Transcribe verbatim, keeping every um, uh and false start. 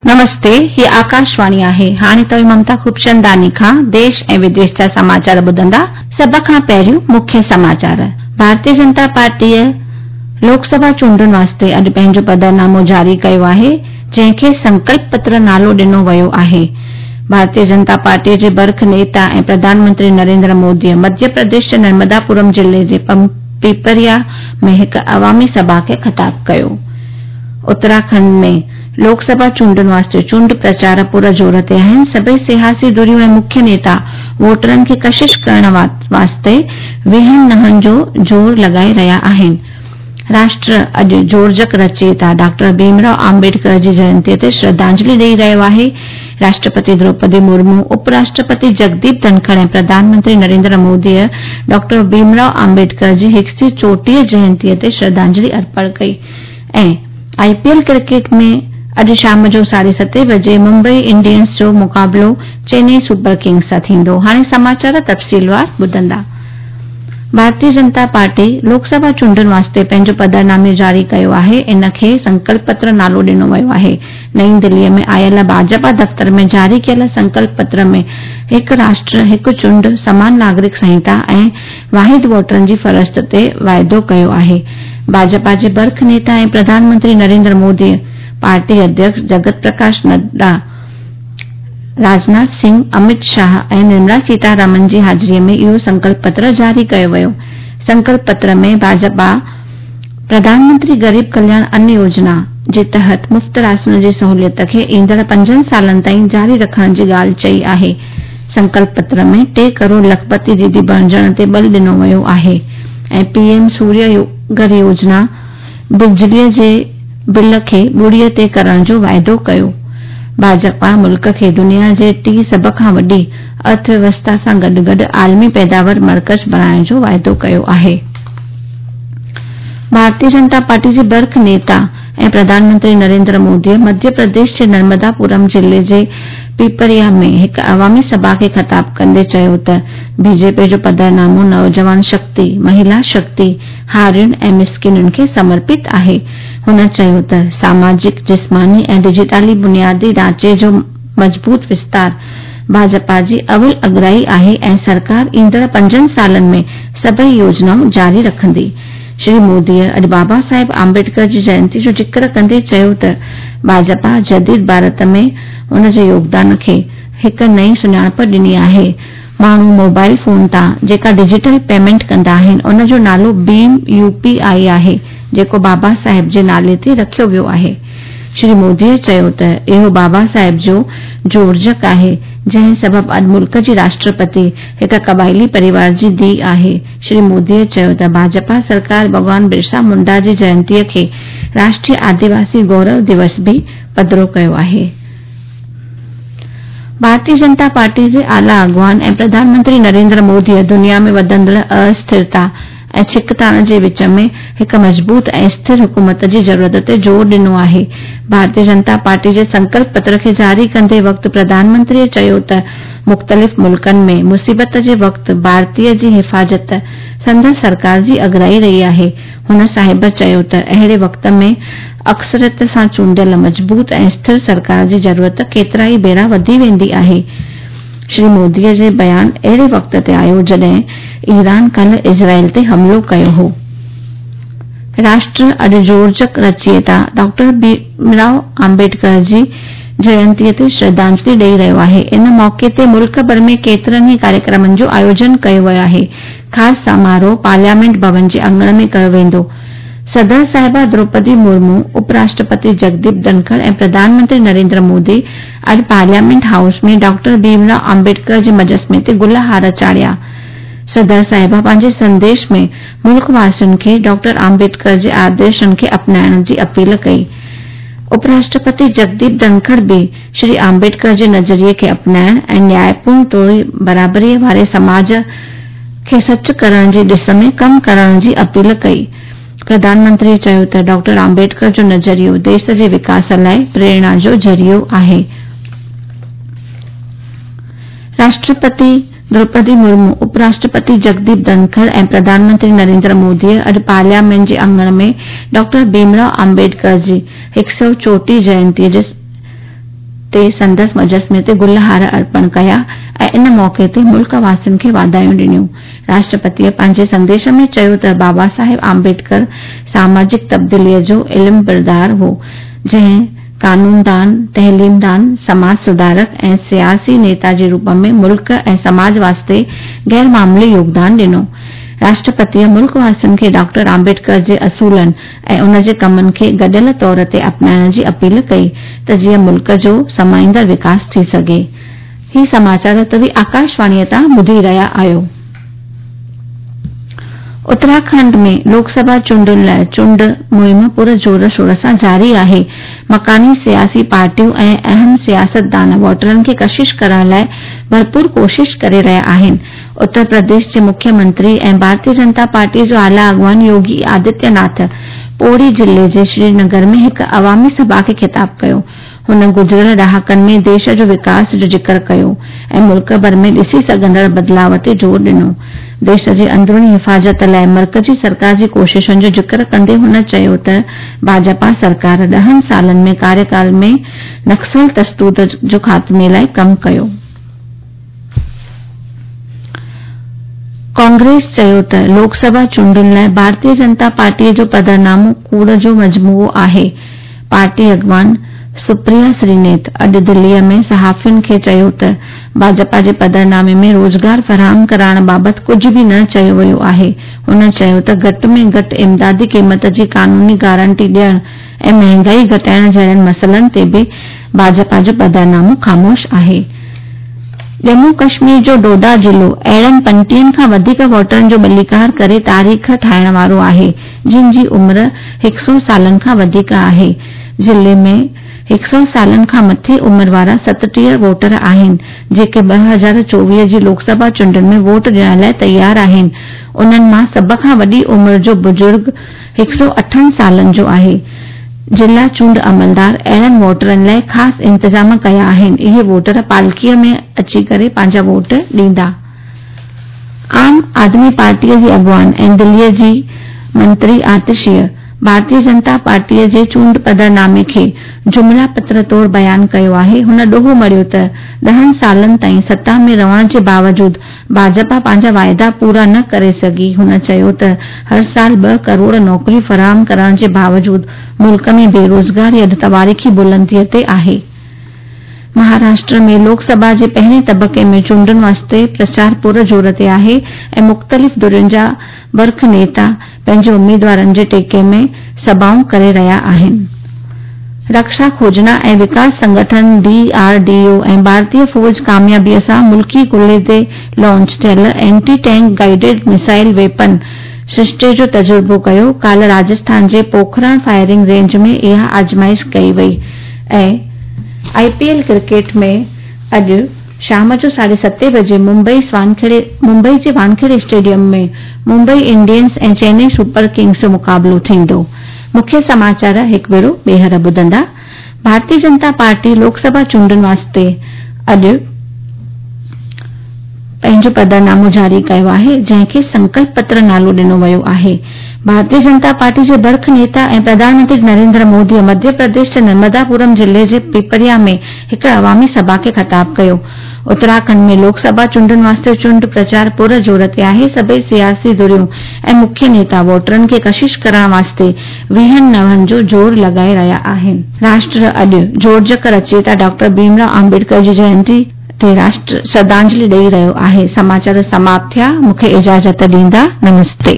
नमस्ते, ही आकाशवाणी आहे। हाणे तव्हीं ममता खूबचंदानी खां देश ऐं विदेश जा समाचार ॿुधंदा। सभ खां पहिरियों मुख्य समाचार। भारतीय जनता पार्टीअ लोकसभा चूंडुनि वास्ते अॼु पंहिंजो पधरनामो जारी कयो आहे, जंहिंखे संकल्प पत्र नालो ॾिनो वियो आहे। भारतीय जनता पार्टीअ जे बर्ख नेता ऐं प्रधानमंत्री नरेंद्र मोदीअ मध्य प्रदेश जे नर्मदापुरम ज़िले जे पीपरिया में हिकु अवामी सभा खे ख़िताब कयो। उत्तराखंड में लोकसभा चूंडुनि वास्ते चूंड प्रचार पुर ज़ोर ते आहिनि। सभई सियासी धुरियूं ऐं मुख्य नेता वोटरनि खे कशिश करण वास्ते वीहनि नहनि जो ज़ोर लॻाए रहिया आहिनि। राष्ट्र अॼु जोड़जक रचयिता डॉक्टर भीमराव आम्बेडकर जी जयंतीअ ते श्रद्धांजलि ॾेई रहियो आहे। राष्ट्रपति द्रौपदी मुर्मू, उपराष्ट्रपति जगदीप धनखड़ ऐं प्रधानमंत्री नरेंद्र मोदीअ डॉक्टर भीमराव आम्बेडकर जी हिकु सौ चोटीह जयंतीअ ते श्रद्धांजलि अर्पण कई। ऐं आईपीएल क्रिकेट में अॼु शाम जो साढे सते बजे मुंबई इंडियंस जो मुक़ाबिलो चेन्नई सुपर किंग्स सां थींदो। हाणे समाचार तफ़सीलवार ॿुधंदा। भारतीय जनता पार्टी लोकसभा चूंडुनि वास्ते पंहिंजो पधरनामो जारी कयो आहे। इन खे संकल्प पत्र नालो ॾिनो वियो आहे। नई दिल्लीअ में आयल भाजपा दफ़्तर में जारी कयल संकल्प पत्र में हिकु राष्ट्र, हिकु चूंड, समान नागरिक संहिता ऐं वाहिद वोटरनि जी फ़हरिस्त ते वाइदो कयो आहे। भाजपा जे बर्ख नेता ऐं प्रधानमंत्री नरेंद्र मोदी, पार्टी अध्यक्ष जगत प्रकाश नड्डा, राजनाथ सिंह, अमित शाह ऐं निर्मला सीतारमण जी हाज़िरीअ में इहो संकल्प पत्र जारी कयो वियो। संकल्प पत्र में भाजपा प्रधानमंत्री गरीब कल्याण अन्न योजना जे तहत मुफ़्त राशन जी सहूलियत खे ईंदड़ पंजनि सालनि ताईं जारी रखण जी ॻाल्हि चई आहे। संकल्प पत्र में टे करोड़ लखपति दीदी बणिजण ते बल ॾिनो वियो आहे ऐं पीएम सूर्य घर योजना बिजलीअ जे बिल खे ॿुड़ीअ ते करण जो वाइदो कयो। भाजपा मुल्क खे दुनिया जे टी सभ खां वॾी अर्थव्यवस्था सां गॾु गॾु आलमी पैदावार मर्कज़ बणाइण जो वाइदो कयो आहे। भारतीय जनता पार्टी जे बर्ख नेता ऐं प्रधानमंत्री नरेंद्र मोदीअ मध्य प्रदेश जे नर्मदापुरम ज़िले जे पीपरिया में हिकु अवामी सभा खे ख़िताब कंदे चयो त बीजेपी जो पधरनामो नौजवान शक्ति, महिला शक्ति, हारियुनि ऐं मिसकिनुनि खे समर्पित आहे। हुन चयो त सामाजिक, जिस्मानी ऐं डिजिटली बुनियादी ढांचे जो मज़बूत विस्तार भाजपा जी अवल अगराई आहे ऐं सरकार ईंदड़ पंजनि सालनि में सभई योजनाऊं जारी रखंदी। श्री मोदीअ अॼु बाबा साहेब आम्बेडकर जी जयंती जो ज़िक्र कंदे चयो त भाजपा जदीद भारत में उन जे योगदान खे हिकु नई सुञाणप ॾिनी आहे। माण्हू मोबाइल फोन तां जेका डिजिटल पेमेंट कंदा आहिनि, उन जो नालो भीम यूपीआई आहे, जेको बाबा साहेब जे नाले ते रखियो वियो आहे। श्री मोदीअ चयो त इहो बाबा साहेब जो जोड़जक आहे, जंहिं सबबु अॼु मुल्क जी राष्ट्रपति हिकु क़बाइली परिवार जी धीउ आहे। श्री मोदीअ चयो त भाजपा सरकार भॻवान बिरसा मुंडा जी जयंतीअ खे राष्ट्रीय आदिवासी गौरव दिवस बि पधरो कयो आहे। भारतीय जनता पार्टी जे आला अॻवान ऐं प्रधानमंत्री नरेंद्र मोदीअ दुनिया में वधंदड़ अस्थिरता ऐं छिकताण जे विच में हिकु मज़बूत ऐं स्थिर हुकूमत जी ज़रूरत ते ज़ोर ॾिनो आहे। भारतीय जनता पार्टी जे संकल्प पत्र खे जारी कंदे वक़्तु प्रधानमंत्रीअ चयो त मुख़्तलिफ़ मुल्कनि में मुसीबत जे वक़्तु भारतीय जी हिफ़ाज़त संदसि सरकार जी अगराई रही आहे। हुन साहिब चयो त अहिड़े वक़्त में अक्सरियत सां चूंडियल मज़बूत ऐं स्थिर सरकार जी ज़रूरत केतिरा ई भेरा वधी वेंदी आहे। श्री मोदीअ जे बयान अहिड़े वक़्त ते आयो जॾहिं ईरान कल इज़राइल ते हमलो कयो हो। राष्ट्र अॼु जोड़जक रचयिता डॉक्टर भीमराव आम्बेडकर जी जयंतीअ ते श्रद्धांजलि ॾेई रहियो आहे। इन मौक़े ते मुल्क भर में केतिरनि ई कार्यक्रमनि जो आयोजन कयो वियो आहे। ख़ासि समारोह पार्लियामेंट भवन जे अंगण में कयो वेंदो। सदर साहिबा द्रौपदी मुर्मू, उपराष्ट्रपति जगदीप धनखड़ ऐं प्रधानमंत्री नरेंद्र मोदी अॼु पार्लियामेंट हाउस में डॉक्टर भीमराव आम्बेडकर जे मुजस्मे ते गुल हार चाढ़िया। सदर साहिबा पंहिंजे संदेश में मुल्क वासियुनि खे डॉक्टर आम्बेडकर जे आदर्शनि खे अपनाइण जी अपील कई। उपराष्ट्रपति जगदीप धनखड़ बि श्री आम्बेडकर जे नज़रिए खे अपनाइण ऐं न्यायपूर्ण तोड़े बराबरीअ वारे समाज खे सच करण जे ॾिस में कमु करण जी अपील कई। प्रधानमंत्री चयो त डॉक्टर आम्बेडकर जो नज़रियो देश जे विकास लाइ प्रेरणा जो ज़रियो आहे। राष्ट्रपति द्रौपदी मुर्मू, उपराष्ट्रपति जगदीप धनखड़ ऐं प्रधानमंत्री नरेंद्र मोदीअ अॼु पार्लियामेंट जे अंगण में डॉक्टर भीमराव आम्बेडकर जी हिकु सौ चोटीह जयंतीअ जे تي سندس مجسمي تي گل هار ارپڻ ڪيا ۽ ان موقعي تي ملڪ واسين کي واڌايون ڏنيون. راشٽرپتيء پنهنجي سنديش ۾ چيو ته بابا صاحب آمبيڊڪر ساماجڪ تبديليء جو علمبردار هو، جنهن قانوندان، تعليمدان، سماج سڌارڪ ۽ سياسي نيتا جي روپ ۾ ملڪ ۽ سماج واسطي غير معمولي يوگدان ڏنو. راشٽرپتيء ملڪ واسين کي ڊاڪٽر آمبيڊڪر جي اصولن ۽ ان جي ڪمن کي گڏيل طور تي اپنائڻ جي اپيل ڪئي ته جيئن ملڪ جو سمائيندڙ وڪاس ٿي سگهي. هي سماچار توهين آڪاشواڻيء تان ٻڌي رهيا آهيو. اتراکنڊ ۾ لوڪ سڀا چونڊن لاء چونڊ مهم پر زور شور سان جاري آهي. مڪاني سياسي پارٽيون ۽ اهم سياستدان ووٽرن کي ڪشش ڪرڻ لاء ڀرپور ڪوشش ڪري رهيا آهن. اتر پرديش جي مکيه منتري ۽ ڀارتيه جنتا پارٽيء جو اعليٰ اڳواڻ يوگي آدتيه ناٿ پوڙي ضلعي جي سرينگر ۾ هڪ عوامي سڀا کي خطاب ڪيو. هن گذريل ڏهاڪن ۾ ديش جو وڪاس جو ذڪر ڪيو ۽ ملڪ ڀر ۾ ڏسي سگهندڙ بدلاء تي زور ڏنو. ديش جي اندروني حفاظت لاء مرڪزي سرڪار جي ڪوششن جو ذڪر ڪندي هن چيو ته ڀاجپا سرڪار ڏهن سالن ۾ ڪاريڪال ۾ نڪسل تشدد جو خاتمي لاء ڪم ڪيو. ڪانگريس چيو ته لوڪ سڀا چونڊن لاء ڀارتيه جنتا پارٽيء جو پڌرنامو ڪوڙ جو مجموعو آهي. پارٽي اڳواڻ سپريا سرينيت اڄ دليء ۾ صحافين کي چيو ته ڀاجپا جي پڌرنامي ۾ روزگار فراهم ڪرائڻ بابت ڪجهه به نه چيو ويو آهي. هن چيو ته گهٽ ۾ گهٽ امدادي قيمت جي قانوني گارنٽي ڏيڻ ۽ مهانگائي گهٽائڻ جهڙن مسئلن تي به ڀاجپا جو پڌرنامو خاموش آهي. ڄمون ڪشمير جو ڊوڊا ضلعو اهڙن پنجٽيهن کان وڌيڪ ووٽرن جو ٻليڪار ڪري تاريخ ٺاهڻ وارو آهي، جن جي عمر هڪ سؤ سالن کان وڌيڪ آهي. ضلعي ۾ هڪ سؤ سالن کان مٿي عمر وارا ستٽيهه ووٽر آهن، جيڪي ٻه هزار چوويهه جي لوڪ سڀا چونڊن ۾ ووٽ ڏيڻ لاء تيار آهن. انهن مان سڀ کان وڏي عمر جو بزرگ هڪ سؤ اٺن سالن جو آهي. ضلع چونڊ عملدار اهڙن ووٽرن لاء خاص انتظام ڪيا آهن. اهي ووٽر پالڪيء ۾ اچي ڪري پنهنجا ووٽ ڏيندا. عام آدمي پارٽيء جي اڳواڻ ۽ دليء جي منتري آتشيء ڀارتيه جنتا پارٽيء جي چونڊ پڌرنامي کي جملا پتر طور بيان ڪيو آهي. هن ڏوهه مڙهيو ته ڏهن سالن تائين ستا ۾ رهڻ جي باوجود ڀاجپا پنهنجا واعدا پورا نه ڪري سگهي. هن چيو ته هر سال ٻه ڪروڙ نوڪريون فراهم ڪرڻ جي باوجود ملڪ ۾ بيروزگاري اڄ تواريخي بلنديء تي آهي. مهاراشٽر ۾ لوڪ سڀا جي پهرين طبقي ۾ چونڊن واسطي پرچار پر زور تي آهي ۽ مختلف ڌرين جا برک نيتا پنهنجي اميدوارن جي ٽيڪي ۾ سڀائون ڪري رهيا آهن. رڪشا کوجنا ۽ وڪاس سنگٺن ڊي آر ڊي او ۽ ڀارتيه فوج ڪاميابيء سان ملڪي ڪلهي تي لانچ ٿيل anti tank guided missile weapon سرشتي جو تجربو ڪيو. ڪالهه راجسٿان جي پوکران فائرنگ رينج ۾ اها آزمائش ڪئي وئي ۽ آء پي ايل ڪرڪيٽ ۾ اڄ شام جو ساڍي ستين بجي ممبئي ممبئي جي Wankhede stadium ۾ Mumbai Indians ۽ Chennai super kings جو مقابلو ٿيندو. مکيه سماچار هڪ ڀيرو ٻيهر ٻڌندا. ڀارتيه جنتا پارٽي لوڪ سڀا چونڊن واسطي اڄ پنهنجو پڌرنامو جاري ڪيو آهي، جنهن کي سنڪلپ پتر نالو ڏنو ويو آهي. ڀارتيه جنتا پارٽي جي برک نيتا ۽ پرڌان منتري نريندر موديء مڌيه پرديش جي نرمداپورم ضلعي جي پپريا ۾ هڪ عوامي سڀا کي خطاب ڪيو. اتراکنڊ ۾ لوڪ سڀا چونڊن واسطي چونڊ پرچار پر زور تي آهي. سڀئي سياسي ڌريون ۽ مکيه نيتا ووٽرن کي ڪشش ڪرڻ واسطي ويهن نون جو زور لڳائي رهيا آهن. راشٽر اڄ جوڙجڪ رچيتا ڊاڪٽر ڀيم رائو آمبيڊڪر جي جينتي تي راشٽر شرڌانجلي ڏئي رهيو آهي. سماچار سماپت ٿيا. مون کي اجازت ڏيندا. نمستي.